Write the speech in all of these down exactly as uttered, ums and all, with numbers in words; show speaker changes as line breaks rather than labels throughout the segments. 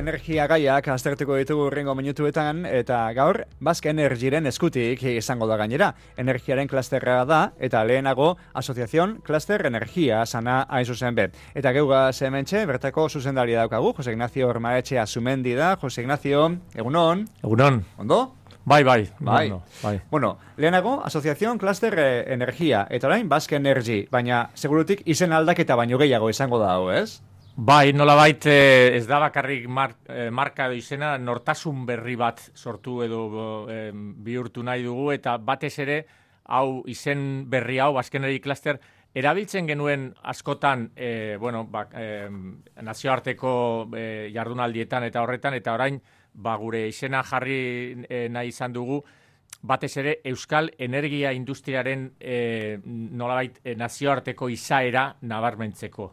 Energia gaiak aztertuko ditugu hurrengo minutuetan, eta gaur Basque Energyren eskutik izango da gainera. Energiaren klasterra da, eta lehenago Asociación Cluster Energia sana hain zuzen be. Eta geugaz hementxe, bertako zuzendaria daukagu, Jose Ignacio Ormaetxe Azumendi da. Jose Ignacio, egunon?
Egunon.
Ondo?
Bai, bai.
Bai.
No, bai.
Bueno, lehenago Asociación Cluster Energia, eta orain Basque Energy, baina segurutik izen aldaketa baino gehiago izango da hau, ez?
Bai, nolabait eh, ez da bakarrik mar, eh, marka edo izena, nortasun berri bat sortu edo eh, bihurtu nahi dugu, eta batez ere, hau izen berri hau, Basque Energy Cluster, erabiltzen genuen askotan, eh, bueno, ba, eh, nazioarteko eh, jardunaldietan eta horretan, eta orain, ba, gure izena jarri eh, nahi izan dugu, batez ere, Euskal Energia Industriaren eh, nolabait eh, nazioarteko izaera nabarmentzeko.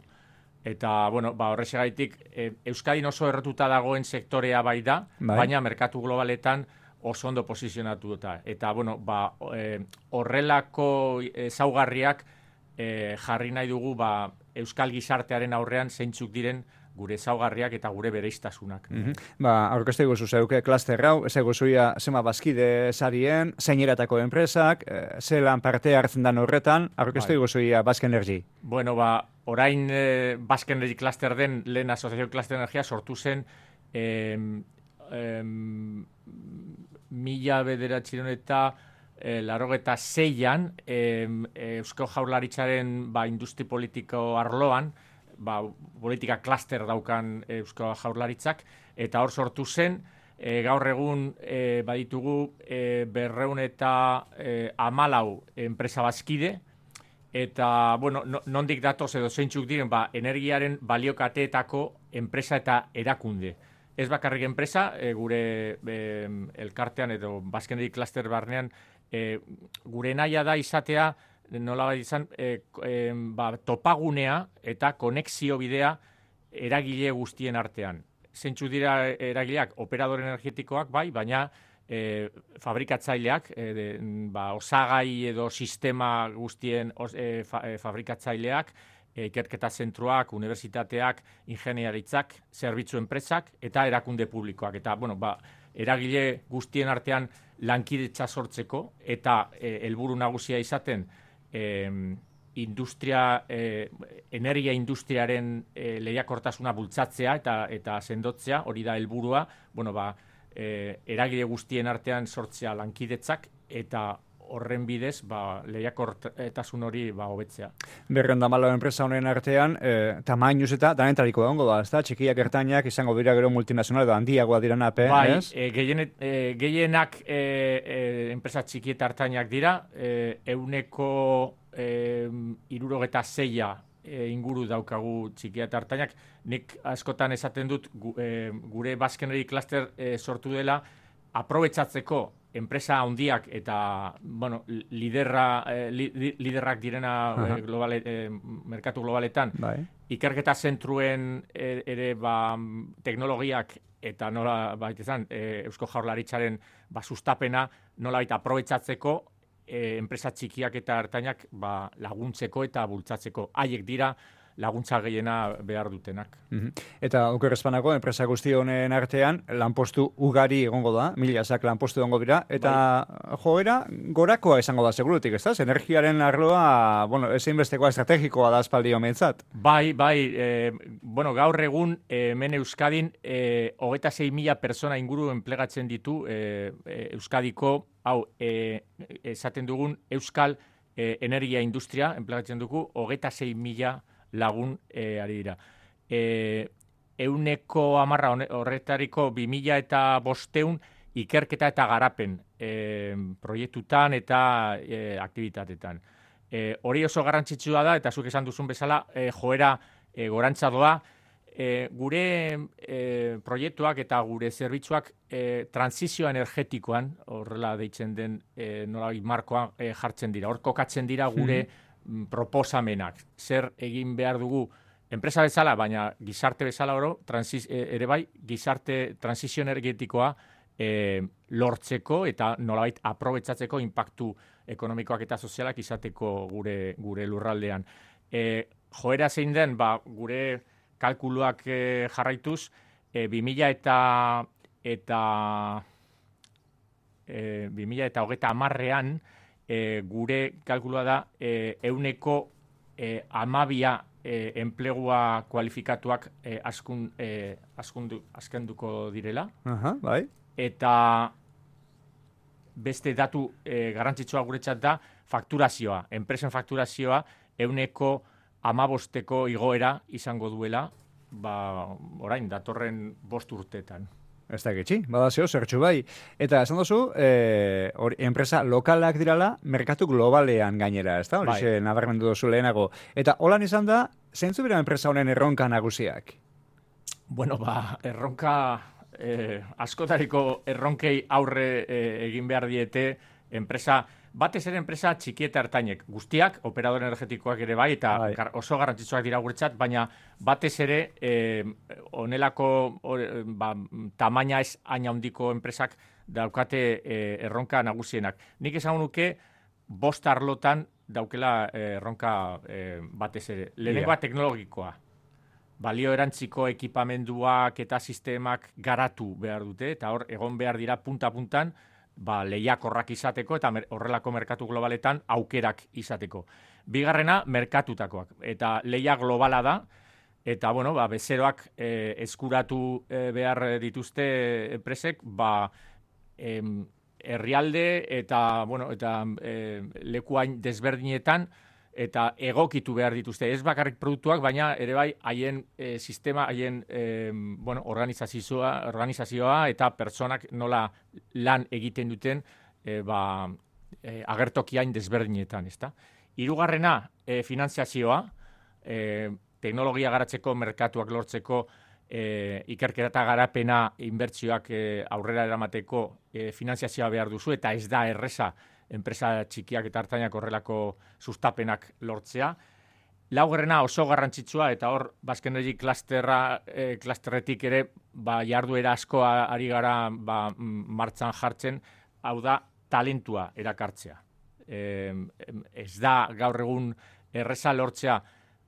Eta, bueno, ba, horrexegaitik, e, Euskadin oso errotuta dagoen sektorea bai da, bai. Baina merkatu globaletan oso ondo posizionatu dut. Eta, bueno, ba, e, horrelako ezaugarriak e, jarri nahi dugu, ba, Euskal gizartearen aurrean zeintzuk diren gure ezaugarriak eta gure bereiztasunak.
Mm-hmm. Ba, aurkezte guzu zeuke klaster hau, ez eguzuia zema bazkide sarien, zeineratako enpresak, e, zelan parte hartzen dan horretan, aurkezte guzuia Basque Energy.
Bueno, ba, orain eh, Basque Energy Cluster den lehen Asociación Cluster Energia sortu zen eh, eh, mila bederatziehun eta eh, larogeta zeian eh, Eusko Jaurlaritzaren ba, industri politiko arloan, ba, politika klaster daukan Eusko Jaurlaritzak, eta hor sortu zen, e, gaur egun e, baditugu e, berreun eta e, amalau enpresa bazkide, eta, bueno, no, nondik datoz edo zeintzuk diren, ba, energiaren baliokateetako enpresa eta erakunde. Ez bakarrik enpresa, e, gure e, elkartean edo Basque Energy Cluster barnean, e, gure nahia da izatea, nola bai izan, e, e, ba, topagunea eta konexio bidea eragile guztien artean. Zeintzu dira eragileak, operadore energetikoak bai, baina e, fabrikatzaileak, e, de, ba, osagai edo sistema guztien os, e, fa, e, fabrikatzaileak, e, ikerketa zentruak, unibertsitateak, ingeniaritzak, zerbitzu enpresak eta erakunde publikoak. Eta, bueno, ba, eragile guztien artean lankidetza sortzeko eta e, helburu nagusia izaten Eh, industria, eh, energia industriaren eh, lehiakortasuna bultzatzea eta eta sendotzea, hori da helburua, bueno, ba, eh, eragile guztien artean sortzea lankidetzak eta horren bidez, ba, lehiakortasun hori ba, hobetzea.
Berreun da malo enpresa honen artean, eh, tamainuz eta danentariko egongo da, ezta? Txikiak ertainak izango dira gero multinazional edo handiagoa diren ape,
bai,
ez?
E, gehienet, e, gehienak e, e, enpresa txiki eta ertainak dira, e, euneko e, irurogeta zeia e, inguru daukagu txiki eta ertainak. Nik askotan esaten dut gu, e, gure Basque Energy Cluster e, sortu dela aprobetxatzeko enpresa handiak eta bueno, liderra, eh, li, liderrak direna eh, globale, eh, merkatu globaletan, bai. Ikerketa zentruen ere ba, teknologiak eta nola bait izan, eh, Eusko Jaurlaritzaren ba, sustapena nola baita aprobetxatzeko eh, enpresa txikiak eta ertainak ba, laguntzeko eta bultzatzeko. Haiek dira laguntza gehiena behar dutenak.
Mm-hmm. Eta okerrezpanako, enpresa guzti honen artean, lanpostu ugari egongo da, milazak lanpostu egongo dira, eta bai. Joera gorakoa izango da segurutik, ez da? Energiaren arloa, bueno, ezin bestekoa estrategikoa da aspaldi homentzat.
Bai, bai, eh, bueno, gaur egun eh, hemen Euskadin eh, hogeita sei mila persona inguru enplegatzen ditu eh, eh, Euskadiko, hau, eh, esaten dugun Euskal eh, energia industria enplegatzen dugu, hogeita sei mila lagun e, ari dira. E, euneko amarra horretariko bi mila eta bosteun ikerketa eta garapen e, proiektutan eta e, aktivitatetan. E, hori oso garrantzitsua da, eta zuk esan duzun bezala, e, joera e, gorantza doa, e, gure e, proiektuak eta gure zerbitzuak e, transizio energetikoan, horrela deitzen den e, nolabait markoa e, jartzen dira. Hor kokatzen dira gure hmm. proposamenak, zer egin behar dugu enpresa bezala, baina gizarte bezala oro, transiz, ere bai, gizarte transizio energetikoa e, lortzeko eta nolabait aprobetxatzeko inpaktu ekonomikoak eta sozialak izateko gure gure lurraldean. E, joera zein den, ba, gure kalkuluak e, jarraituz, e, bi mila eta eta e, bi mila eta hogeita hamarrean e, gure kalkulua da e, euneko e, amabia e, enplegua kualifikatuak e, askun, e, askundu, askenduko direla.
Aha, bai.
Eta beste datu e, garrantzitsua guretzat da fakturazioa. Enpresen fakturazioa euneko amabosteko igoera izango duela, ba, orain, datorren bost urteetan.
Ez da getxi, badazio, zertxu bai. Eta esan duzu, e, or, enpresa lokalak dirala, merkatu globalean gainera, ez da? Horixe, bai. Nabarmendu duzu lehenago. Eta holan izan da, zeintzu bera enpresa honen erronka nagusiak?
Bueno, ba, erronka... Eh, askotariko erronkei aurre eh, egin behar diete enpresa, batez ere enpresa txiki eta ertainek, guztiak, operador energetikoak ere bai, eta bai. gar, oso garrantzitsuak dira guretzat, baina batez ere eh, onelako or, ba, tamaina ez hain handiko enpresak daukate eh, erronka nagusienak. Nik esan nuke, bost arlotan daukela eh, erronka eh, batez ere. Lehenengoa yeah. teknologikoa. Balio erantziko ekipamenduak eta sistemak garatu behar dute, eta hor egon behar dira punta-puntan ba, lehiakorrak izateko eta mer, horrelako merkatu globaletan aukerak izateko. Bigarrena, merkatutakoak. Eta lehia globala da, eta bueno, ba, bezeroak eh, eskuratu eh, behar dituzte enpresek, ba, em, herrialde eta, bueno, eta eh, lekuain desberdinetan, eta egokitu behar dituzte. Ez bakarrik produktuak, baina ere bai haien e, sistema, haien e, bueno, organizazioa, organizazioa eta pertsonak nola lan egiten duten e, ba, e, agertokiain desberdinetan. Ezta? Hirugarrena, e, finanziazioa, e, teknologia garatzeko, merkatuak lortzeko, e, ikerketa garapena inbertsioak e, aurrera eramateko e, finanziazioa behar duzu, eta ez da erreza enpresa txikiak eta hartainak horrelako sustapenak lortzea. Laugarrena oso garrantzitsua, eta hor Basque Energy klasterra, e, klasterretik ere ba, jarduera asko ari gara ba, martxan jartzen, hau da talentua erakartzea. E, ez da gaur egun erreza lortzea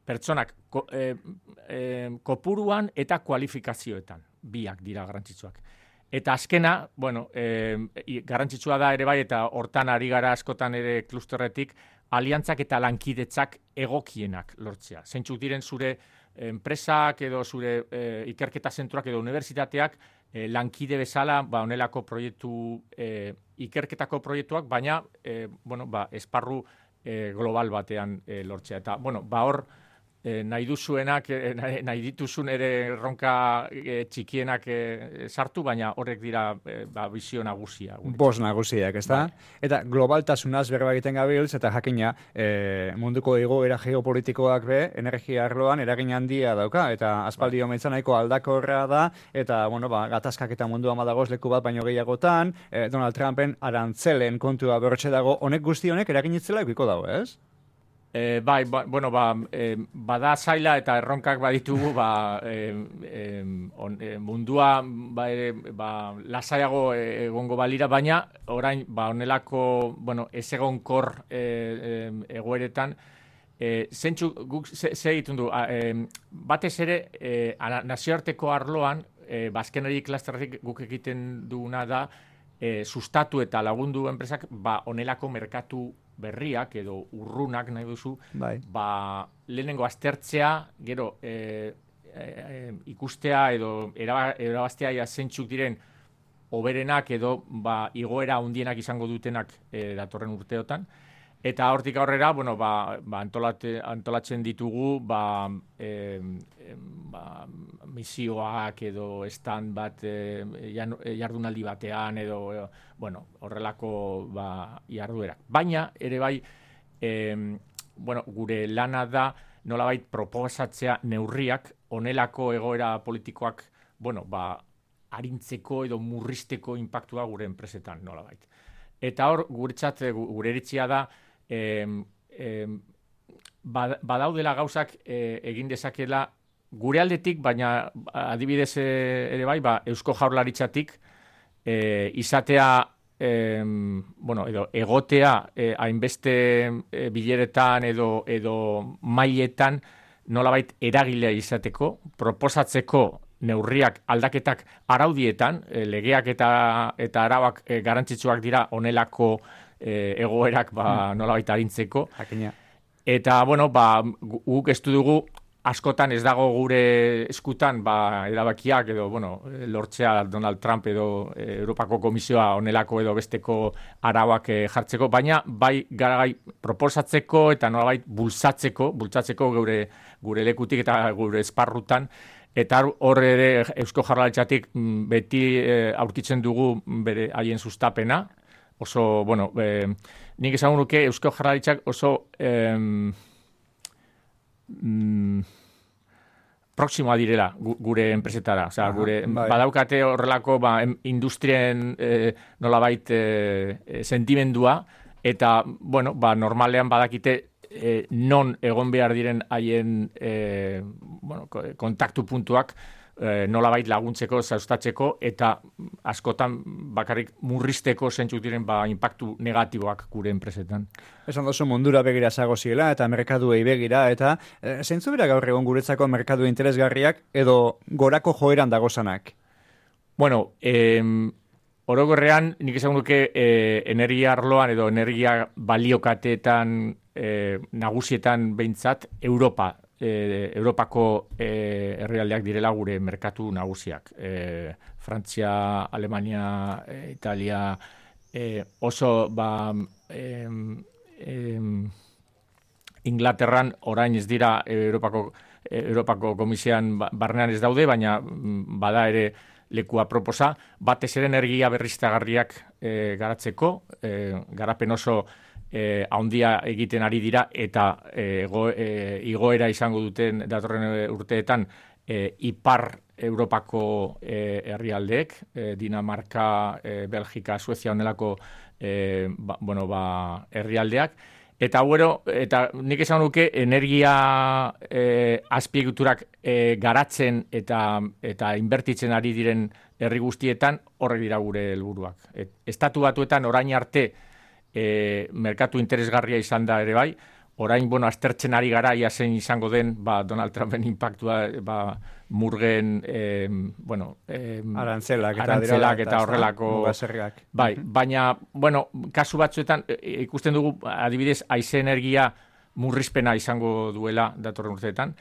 pertsonak ko, e, e, kopuruan eta kualifikazioetan, biak dira garrantzitsuak. Eta azkena, bueno, e, garrantzitsua da ere bai, eta hortan ari gara askotan ere klusterretik, aliantzak eta lankidetzak egokienak lortzea. Zeintzuk diren zure enpresak edo zure e, ikerketa zentroak edo unibertsitateak e, lankide bezala, ba, onelako proiektu, e, ikerketako proiektuak, baina, e, bueno, ba, esparru e, global batean e, lortzea. Eta, bueno, ba, hor, E, nahi duzuenak, e, nahi dituzun ere erronka e, txikienak e, sartu, baina horrek dira e, ba, bizio nagusia.
Bos nagusiak, ez da? Bai. Eta globaltasunaz berba egiten gabiltz, eta jakina e, munduko egoera geopolitikoak be, energia arloan eragin handia dauka, eta aspaldi bai. Omentzen nahiko aldakorra da, eta bueno, ba, gatazkak eta mundu amadagoz leku bat baino gehiagotan, e, Donald Trumpen arantzelen kontua berrotxe dago, honek guzti honek eragin itzela ikiko dago, ez?
E, bai, ba, bueno, ba, e, bada zaila eta erronkak baditugu, ba, e, e, on, e, mundua ba, e, ba, lasaiago egongo balira, baina orain ba, onelako bueno, ez egonkor e, e, egoeretan, e, zentzu guk ze, ze egiten du, a, e, batez ere e, nazioarteko arloan, e, Basque Energy klasterretik guk egiten duguna da, e, sustatu eta lagundu enpresak ba, onelako merkatu berriak edo urrunak nahi duzu, bai. Ba, lehenengo aztertzea, gero e, e, e, ikustea edo erabaztea ja zeintzuk diren hoberenak edo ba, igoera handienak izango dutenak e, datorren urteotan. Eta hortik aurrera, bueno, ba, ba, antolate, antolatzen ditugu ba, e, e, ba, misioak edo stand bat e, jardunaldi batean edo e, bueno, horrelako ba, jarduerak. Baina ere bai, e, bueno, gure lana da nolabait proposatzea neurriak onelako egoera politikoak bueno, ba, arintzeko edo murrizteko inpaktua gure enpresetan nolabait. Eta hor, guretzat, gure eritzia da, E, e, badaudela gauzak e, egin dezakela gure aldetik, baina adibidez ere bai, ba, Eusko Jaurlaritzatik e, izatea, e, bueno, edo egotea e, hainbeste e, bileretan edo, edo mailetan nolabait eragilea izateko, proposatzeko neurriak aldaketak araudietan, e, legeak eta, eta arauak e, garrantzitsuak dira honelako e, egoerak ba, nolabait arintzeko.
Jakina.
Eta, bueno, ba, guk ez dugu askotan ez dago gure eskutan ba, erabakiak edo, bueno, lortzea Donald Trump edo e, Europako Komisioa honelako edo besteko arauak e, jartzeko, baina bai garagai proposatzeko eta nolabait bultzatzeko, bultzatzeko gure, gure lekutik eta gure esparrutan, eta hor ere Eusko Jaurlaritzatik beti e, aurkitzen dugu bere haien sustapena, oso, bueno, e, nik esan nuke Eusko Jaurlaritzak oso em, mm, proximoa direla gure enpresetara, osea, gure
bai.
Badaukate horrelako ba, industrien e, nolabait e, sentimendua, eta, bueno, ba, normalean badakite e, non egon behar diren haien e, bueno, kontaktu puntuak e, nolabait laguntzeko, zaustatzeko, eta askotan bakarrik murrizteko zentzuk diren ba, impactu negatiboak gure enpresetan.
Esan dozu mundura begira zago ziela eta merkaduei begira, eta e, zeintzu bera gaur egon guretzako merkadu interesgarriak edo gorako joeran dagozanak?
Bueno, eh, orokorrean nik esan duke eh, energia arloan edo energia baliokateetan eh, nagusietan behintzat Europa, eh, Europako eh, herrialdeak direla gure merkatu nagusiak. Eh, Frantzia, Alemania, eh, Italia, eh, oso ba, eh, eh, Inglaterran orain ez dira Europako, Europako Komisioan barnean ez daude, baina bada ere lekua proposa, batez ere energia berriztagarriak e, garatzeko, e, garapen oso e, handia egiten ari dira eta e, go, e, igoera izango duten datorren urteetan e, ipar Europako e, herrialdeek, e, Dinamarka, e, Belgika, Suezia honelako e, ba, bueno, ba, herrialdeak. Eta, bueno, eta nik esan nuke energia eh, azpiegiturak eh, garatzen eta, eta inbertitzen ari diren herri guztietan horrek dira gure helburuak. Et, estatu batuetan orain arte eh, merkatu interesgarria izan da ere bai, orain, bueno, aztertzen ari gara ia zein izango den ba, Donald Trumpen impactua ba, murgen, eh, bueno, eh,
arantzelak eta,
arantzelak eta horrelako.
Mugaserriak.
Bai, baina, bueno, kasu batzuetan e, ikusten dugu, adibidez, haize energia murrizpena izango duela datorren urteetan.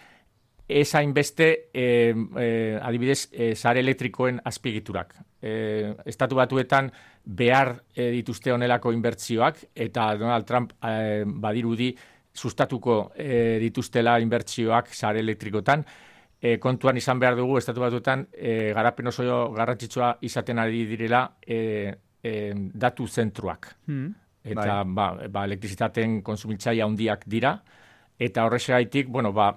Ez hainbeste, eh, eh, adibidez, eh, sare elektrikoen azpiegiturak. Eh, estatu batuetan behar eh, dituzte honelako inbertsioak, eta Donald Trump eh, badirudi sustatuko eh, dituztela inbertsioak sare elektrikotan. E, kontuan izan behar dugu, estatu batuetan, e, garapen oso garrantzitsua izaten ari direla e, e, datu zentruak. Hmm, eta bai. ba, ba, elektrizitateen konsumitzaile handiak dira, eta horrexegaitik, bueno, ba,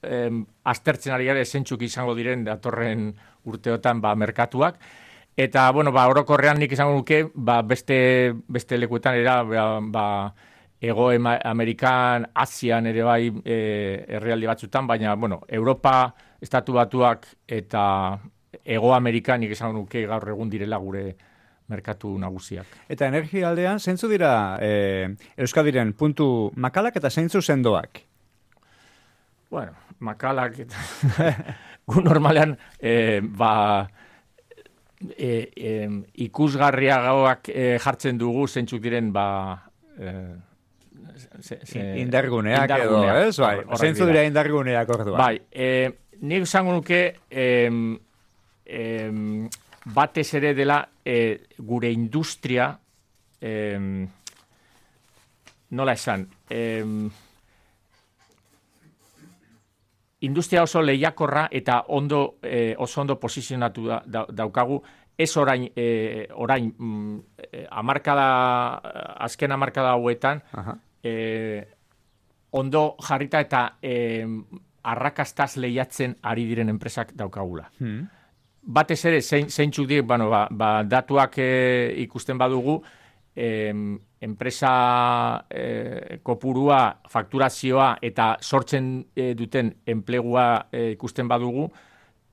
em, aztertzen ari gara esentzuk izango diren datorren urteotan ba, merkatuak, eta, bueno, ba, orokorrean nik izango nuke, ba, beste, beste lekuetan era, ba, ba Ego Amerikan, Asian ere bai e, herrialde batzutan, baina, bueno, Europa, Estatu Batuak eta Ego Amerikan nik esan nuke gaur egun direla gure merkatu nagusiak.
Eta energia aldean, zeintzu dira e, Euskadiren puntu makalak eta zeintzu sendoak?
Bueno, makalak eta gu normalean e, ba, e, e, ikusgarriagoak e, jartzen dugu zeintzuk diren ba... E,
Se, se, indarguneak, indarguneak edo, ez? Bai, zeintzu dira indarguneak orduan.
Bai, eh, nik esango nuke eh, eh, batez ere dela eh, gure industria eh, nola esan eh, industria oso lehiakorra eta ondo eh, oso ondo posizionatu da, da, daukagu. Ez orain, eh, orain mm, amarkada, azken amarkada hauetan, aha. Eh, ondo jarrita eta eh, arrakastaz lehiatzen ari diren enpresak daukagula. Hmm. Batez ere, zein, zeintzuk dir, bueno, ba, ba, datuak eh, ikusten badugu, eh, enpresa e, kopurua, fakturazioa eta sortzen e, duten enplegua e, ikusten badugu,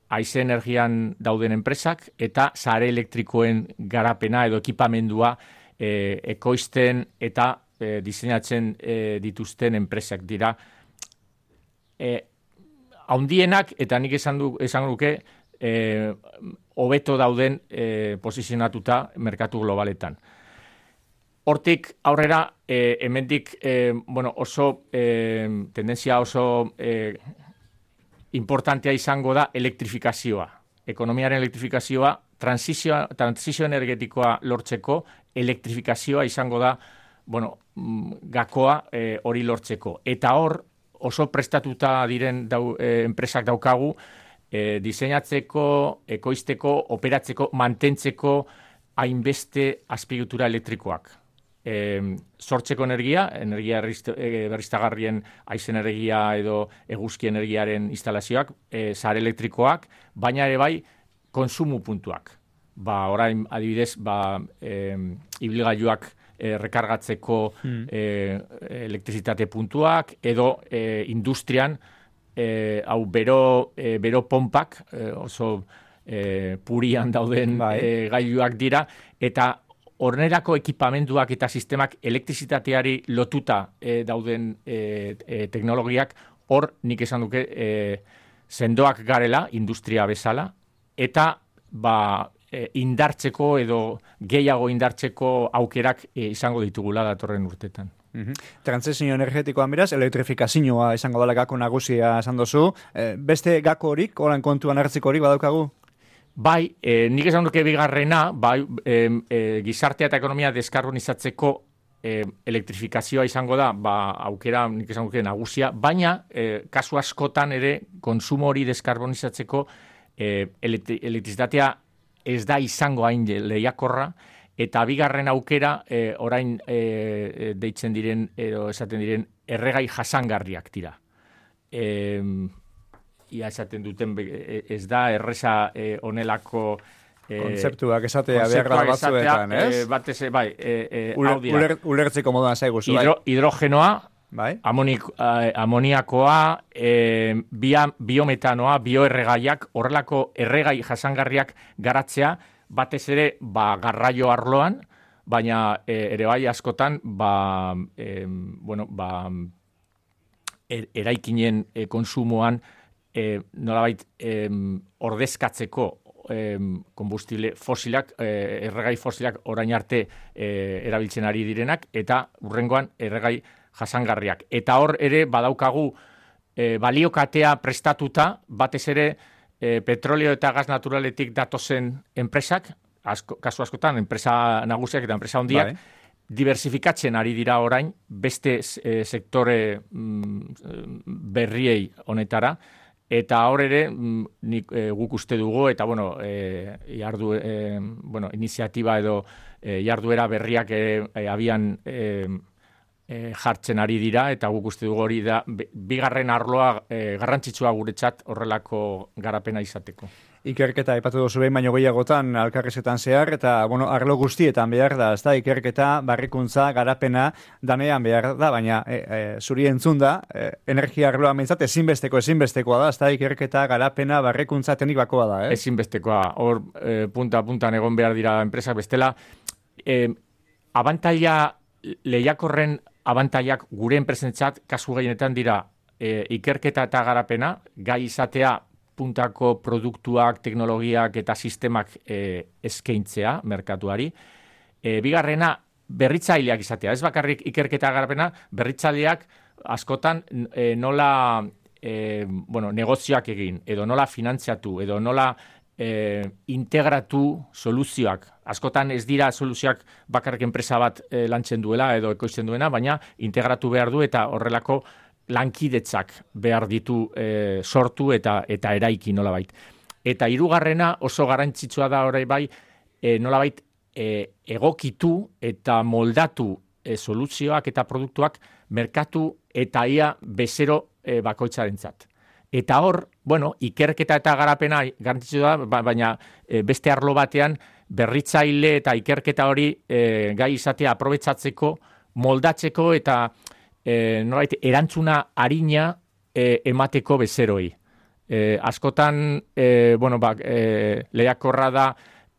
haize energian dauden enpresak eta sare elektrikoen garapena edo ekipamendua e, ekoizten eta e, diseinatzen e, dituzten enpresak dira. E, haundienak, eta nik esan du, esan duke, e, hobeto dauden e, posizionatuta merkatu globaletan. Hortik aurrera, e, hemendik e, bueno, oso e, tendentzia oso e, importantea izango da elektrifikazioa. Ekonomiaren elektrifikazioa, transizio, transizio energetikoa lortzeko, elektrifikazioa izango da, bueno, gakoa e, hori lortzeko. Eta hor, oso prestatuta diren dau, e, enpresak daukagu, e, diseinatzeko, ekoizteko, operatzeko, mantentzeko hainbeste azpiegitura elektrikoak. E, sortzeko energia, energia berriztagarrien haize energia edo eguzki energiaren instalazioak, e, sare elektrikoak, baina ere bai konsumu puntuak. Ba, orain adibidez, ba, e, ibilgailuak e, rekargatzeko hmm. e, elektrizitate puntuak, edo e, industrian, e, hau bero, e, bero pompak, e, oso e, purian dauden bai. e, gailuak dira, eta hornerako ekipamenduak eta sistemak elektrizitateari lotuta e, dauden e, e, teknologiak, hor nik esan duke e, sendoak garela, industria bezala, eta ba, e, indartzeko edo gehiago indartzeko aukerak e, izango ditugula datorren urtetan.
Mm-hmm. Transizio energetikoan beraz, elektrifikazioa izango dela gako nagusia esan dozu. E, beste gako horik, horan kontuan hartziko horik badaukagu?
Bai, eh, nik esan duke bigarrena, bai, eh, eh, gizartea eta ekonomia deskarbonizatzeko eh, elektrifikazioa izango da, ba, aukera nik esan duke nagusia, baina eh, kasu askotan ere konsumo hori deskarbonizatzeko eh, elektrizitatea ez da izango hain lehiakorra, eta bigarren aukera eh, orain eh, deitzen diren, edo esaten diren, erregai jasangarriak dira. Eh, ia esaten duten ez da erresa eh, onelako eh,
kontzeptuak esatea behar da batzuetan, ez?
Eh, batez, bai, eh, eh,
Uler, uler, ulertzeko moduan zaigu zu,
Hidro,
bai?
Hidrogenoa,
bai?
Amonik, eh, amoniakoa, eh, bia, biometanoa, bioerregaiak, horrelako erregai jasangarriak garatzea, batez ere, ba, garraio arloan, baina eh, ere bai askotan, ba, eh, bueno, ba, er, eraikinen eh, konsumoan, E, nolabait e, ordezkatzeko e, konbustible fosilak, e, erregai fosilak orain arte e, erabiltzen ari direnak, eta hurrengoan erregai jasangarriak. Eta hor ere badaukagu e, baliokatea prestatuta, batez ere e, petrolio eta gas naturaletik datozen enpresak, asko, kasu askotan, enpresa nagusiak eta enpresa handiak, bai. Diversifikatzen ari dira orain beste e, sektore mm, berriei honetara, eta hor ere, nik, e, guk uste dugu, eta bueno, e, jardu, e, bueno, iniziatiba edo e, jarduera berriak e, e, abian e, e, jartzen ari dira, eta guk uste dugu hori da, bigarren arloa e, garrantzitsua guretzat horrelako garapena izateko.
Ikerketa aipatu duzu behin baino gehiagotan alkarrezetan zehar, eta bueno, arlo guztietan behar da, ez da, ikerketa, barrikuntza, garapena, danean behar da, baina e, e, zuri entzun da, e, energia arloa mentzat ezinbesteko, ezinbestekoa da, ez da, ikerketa, garapena, barrikuntza, teknikoa da, eh?
Ezinbestekoa, hor e, punta-puntan egon behar dira enpresak bestela, e, abantaila, lehiakorren abantailak gure enpresentzat, kasu gehienetan dira, e, ikerketa eta garapena, gai izatea, puntako produktuak, teknologiak eta sistemak e, eskaintzea merkatuari. E, bigarrena, berritzaileak izatea. Ez bakarrik ikerketa garapena, berritzaileak askotan e, nola e, bueno, negozioak egin, edo nola finantziatu, edo nola e, integratu soluzioak. Askotan ez dira soluzioak bakarrik enpresa bat e, lantzen duela edo ekoizten duena, baina integratu behar du eta horrelako lankidetzak behar ditu e, sortu eta eta eraiki nolabait. Eta hirugarrena oso garrantzitsua da orain bai e, nolabait e, egokitu eta moldatu e, soluzioak eta produktuak merkatu eta ia bezero e, bakoitzarentzat. Eta hor, bueno, ikerketa eta garapena garrantzitsua da, baina e, beste arlo batean berritzaile eta ikerketa hori e, gai izatea aprobetsatzeko, moldatzeko eta e, norbait, erantzuna arina e, emateko bezeroi. E, askotan, e, bueno, ba, e, lehiakorra da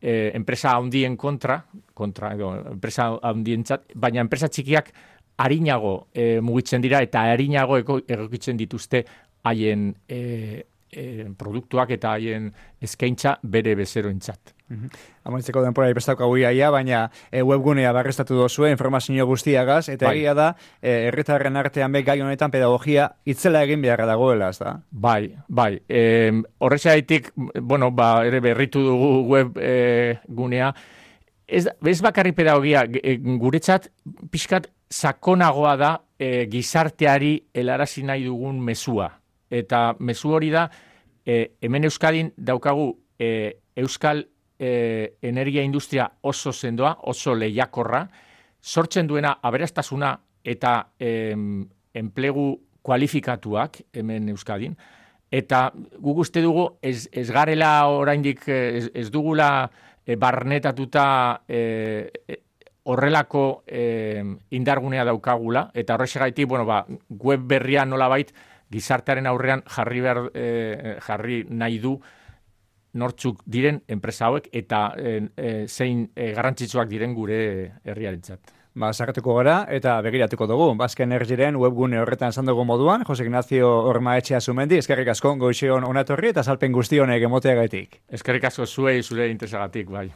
e, enpresa handien kontra, kontra edo, enpresa handientzat, baina enpresa txikiak arinago e, mugitzen dira eta arinago egokitzen dituzte haien e, e, produktuak eta haien eskaintza bere bezeroentzat.
Mm-hmm. Amaitzeko denpora ipestaukagu iaia, baina e, webgunea barrestatu dozue informazio guztiagaz, eta bai. Egia da, e, herritarren artean be gai honetan pedagogia itzela egin beharra dagoela, ez da?
Bai, bai. E, Horrexaitik, bueno, ba, ere berritu dugu web e, gunea, ez, ez bakarri pedagogia, e, guretzat pixkat sakonagoa da e, gizarteari helarazi nahi dugun mezua. Eta mezu hori da, e, hemen Euskadin daukagu e, Euskal e, energia industria oso sendoa, oso lehiakorra, sortzen duena aberastasuna eta e, enplegu kualifikatuak hemen Euskadin. Eta guk uste dugu ez, ez garela oraindik ez, ez dugula e, barnetatuta e, horrelako e, indargunea daukagula, eta horrexegaitik, bueno, ba, web berria nolabait gizartearen aurrean jarri behar, e, jarri nahi du nortzuk diren enpresa hauek eta e, e, zein e, garrantzitsuak diren gure herriarentzat.
Ba, sakatuko gara eta begiratuko dugu. Basque Energyren webgune horretan esan dugu moduan, Jose Ignacio Ormaetxea Zumendi, eskerrik asko goizeon onatorri eta salpen guztionek emoteagatik.
Eskerrik asko zuei zure interesagatik, bai.